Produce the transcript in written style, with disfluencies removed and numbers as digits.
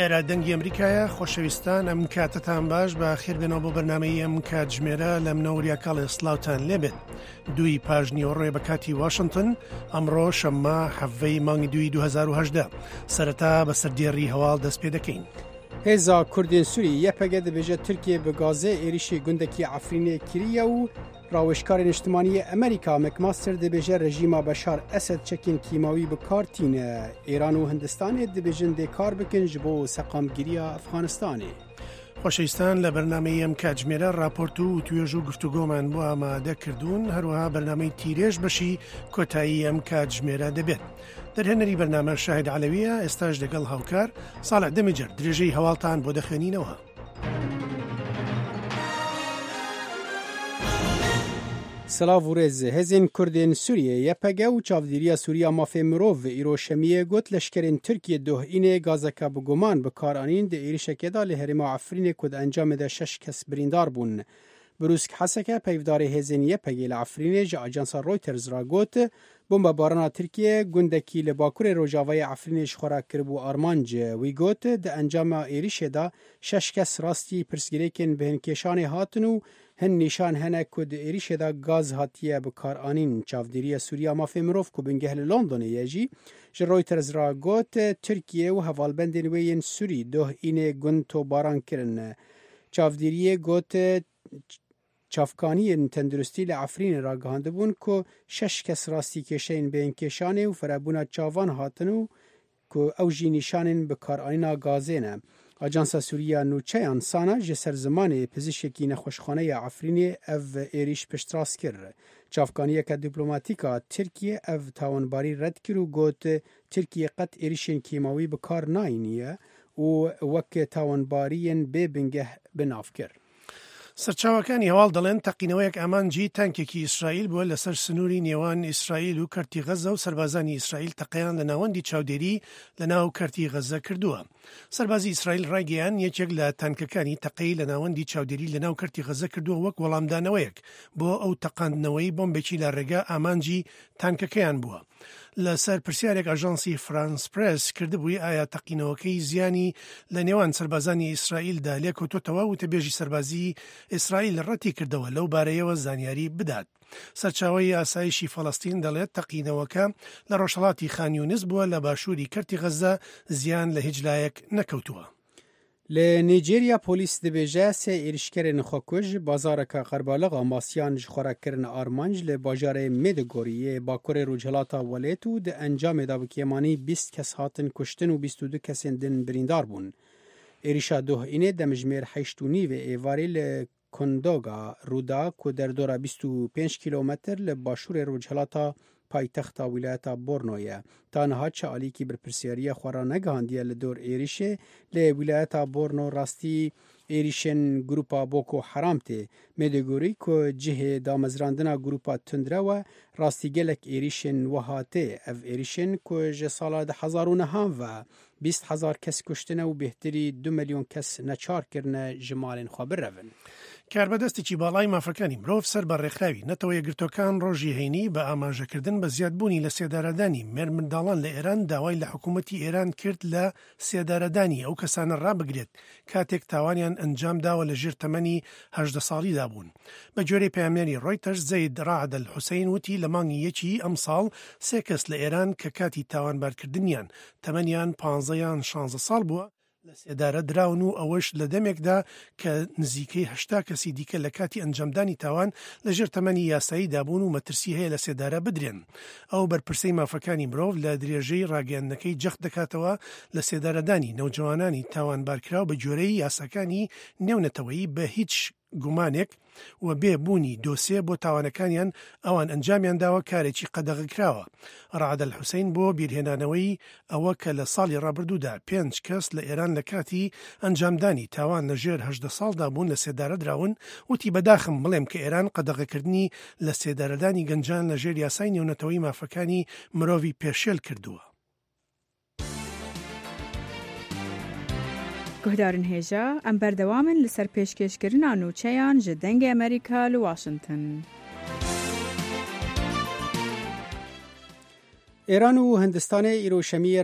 ئێرە دەنگی ئەمریکایە خۆشەویستان ئەم کاتتان باش بە خێربێنەوە بۆ بەرنمەی ئەم کاتژمێرە لە منەوەریا کاڵێ سلااوان لێبێت دووی پاش نیوەڕۆێ بە کاتی واشنگتن ئەمڕۆ شەممە حەڤەی مانگی دووی 2010 سەرەتا بە سەردێڕی هەواڵ دەست پێ دەکەین. هێزا کوردên Sûrî YPG dibêje Tirkiye bi gazê êrişê gundekî Efrînê kiriye û rawêjkarê niştimanî yê Amerîka McMaster dibêje rejîma Beşar Esed çekên kîmawî bi kar tîne. Îran û Hindistanê dibêjin dê kar bikin ji bo seqamgiriya Efxanistanê. خۆشەویستان لە بەرنامەی ئەم کاتژمێرە راپۆرت و وتوێژ و گفتوگۆمان بۆ ئامادە کردوون هەروەها بەرنامەی تیرێژ بەشی کۆتایی ئەم کاتژمێرە دەبێت دەرهێنەری بەرنامە شاهد عەلەویە ئێستاش دەگەڵ هاوکار ساڵح دەمیجەر درێژەی هەواڵتان بۆ دەخوێنینەوە. سڵاv û rêz Hêzên Kurdên Sûriyê YPG û Çavdêriya Sûriya Mafê Mirov îro Şemiyê got leşkerên Tirkiyê doh înê gazeka bi guman bi kar anîn di êrişekê de li herêma Efrînê ku di encamê de şeş kes birîndar bûn. Brûsk Heseke peyvdarê hêzên YPG'ê li Efrînê ji ajansa Reuters re got, Bombebarana Tirkiyê gundekî li bakurê rojavayê Efrînê ji xwe re kiribû armanc. Wî got, di encama êrişê de şeş kes rastî pirsgirêkên bêhinkêşanê hatin û hin nîşan hene ku di êrişê de gaz hatiye bikaranîn. Çavdêriya Sûriya Mafê Mirov ku bingeh li Londonê ye jî ji Reuters re got, Tirkiye û hevalbendên wê yên Sûrî doh înê gund topbaran kirin. Çavdêriyê got, Çavkaniyên tenduristî li Efrînê ragihandibûn ku şeş kes rastî kêşeyên bêhinkêşanê û ferebûna çavan hatin û ku ew jî nîşanên bikaranîna gazê ne. Ajansa Sûrî ya Nûçeyan, SANA, ji ser zimanê pizîşkekî nexweşxaneya Efrînê ev êrîş piştrast kir. Çavkaniyeke dîplomatîk a Tirkiyê ev tawanbarî red kir û got, Tirkiye qet êrîşên kêmawî bi kar nayîniye û wek tawanbariyên bê bingeh bi nav kir. سەرچاوەکانی هەواڵ دەڵێن تەقینەوەیەک ئامانجی تانکێکی ئیسرائیل بووە لەسەر سنووری نێوان ئیسرائیل و کەرتی غەزە و سەربازانی ئیسرائیل تەقەیان لە ناوەندی چاودێری لە ناو کەرتی غەزە کردووە. سەربازی ئیسرائیل ڕایگەیان یەکێک لە تانکەکانی تەقەی لە ناوەندی چاودێری لە ناو کەرتی غەزە کردووە وەک وەڵامدانەوەیەک بۆ ئەو تەقاندنەوەی بۆمبێکی لە ڕێگە ئامانجی تانکەکەیان بووە. لەسەر پرسیارێک ئاژانسی فرانس پرێس کردبووی ئایا تەقینەوەکەی زیانی لە نێوان سەربازانی ئیسرائیلدا لێکەوتۆتەوە وتەبێژی سەربازی ئیسرائیل ڕەتی کردەوە لەو بارەیەوە زانیاری بدات. سەرچاوەی ئاسایشی فەڵەستین دەڵێت تەقینەوەکە لە ڕۆژهەڵاتی خان یونس بووە لە باشووری کەرتی غەززە زیان لە هیچ لایەک نەکەوتووە. Li Nîjerya polîs dibêje sê êrişkerên xwekuj bazareke qerbaliq a masiyan ji xwe re kirin armanc li bajarê Maiduguri yê bakurê rojhilata welêt û di encamê de bi kêmanî 20 kes hatin kuştin û 22 kesên din birîndar bûn. Êrişa doh înê demjimêr heşt û nîvê êvarê li Kondoga rûda ku derdora 25 kîlometr li başûrê rojhilata paytexta wîlayeta Borno ye. Ta niha çi alîkî berpirsyariya xwe ranegihandiye li dor êrişê, lê wîlayeta Borno rastî êrişên grûpa Boko Haram tê. Maiduguri ku cihê damezrandina grûpa tundrew e, rastî gelek êrişên wiha tê. Ev êrişên ku ji sala 2009 ve 20 hezar kes kuştine û bêhtirî du milyon kes neçar kirine ji malên xwe birevin. کاربەدەستێکی باڵای مافەکانی مرۆڤ سەر بە ڕێکخراوی نەتەوە یەکگرتووەکان ڕۆژی هەینی بە ئاماژەکردن بە زیادبوونی لە سێدارەدانی مێرمنداڵان لە ئێران داوای لە حکوومەتی ئێران کرد لە سێدارەدانی ئەو کەسانە ڕابگرێت کاتێک تاوانیان ئەنجام داوە لە ژێر تەمەنی 18 ساڵیدا بوون. بە گوێرەی پەیامنێری ڕۆیتەرز زەید ڕەعد ئەلحوسەین وتی لە مانگی یەکی ئەمساڵ سێ کەس لە ئێران کە کاتی تاوانبارکردنیان تەمەنیان 15 یان 16 ساڵ بووە لە سێدارە دراون و ئەوەش لە دەمێکدا کە نزیکەی 80 کەسی دیکە لە کاتی ئەنجامدانی تاوان لە ژێر تەمەنی یاساییدا بوون و مەترسی هەیە لە سێدارە بدرێن. ئەو بەرپرسەی مافەکانی مرۆڤ لە درێژەی ڕاگەیاندنەکەی جەخت دەکاتەوە لە سێدارەدانی نەوجەوانانی تاوانبارکراو بە گوێرەی یاساکانی نێونەتەوەیی بە هیچ گومانێک و بێ بوونی دۆسێ بۆ تاوانەکانیان ئەوان ئەنجامیان داوە کارێکی قەدەغەکراوە. ڕەعد ئەلحوسەین بۆ بیرهێنانەوەی ئەوە کە لە ساڵی ڕابردوودا پێنج کەس لە ئێران لە کاتی ئەنجامدانی تاوان لە ژێر 18 ساڵدا بوون لە سێدارە دراون وتی بەداخم بڵێم کە ئێران قەدەغەکردنی لە سێدارەدانی گەنجان لە ژێر یاسای نێونەتەوەی مافەکانی مرۆڤی پێشێل کردووە. Guhdarên hêja em berdewam in li ser pêşkêşkirina nûçeyan ji Dengê Amerîka li Washington. Êran û Hindistanê îro şemiyê.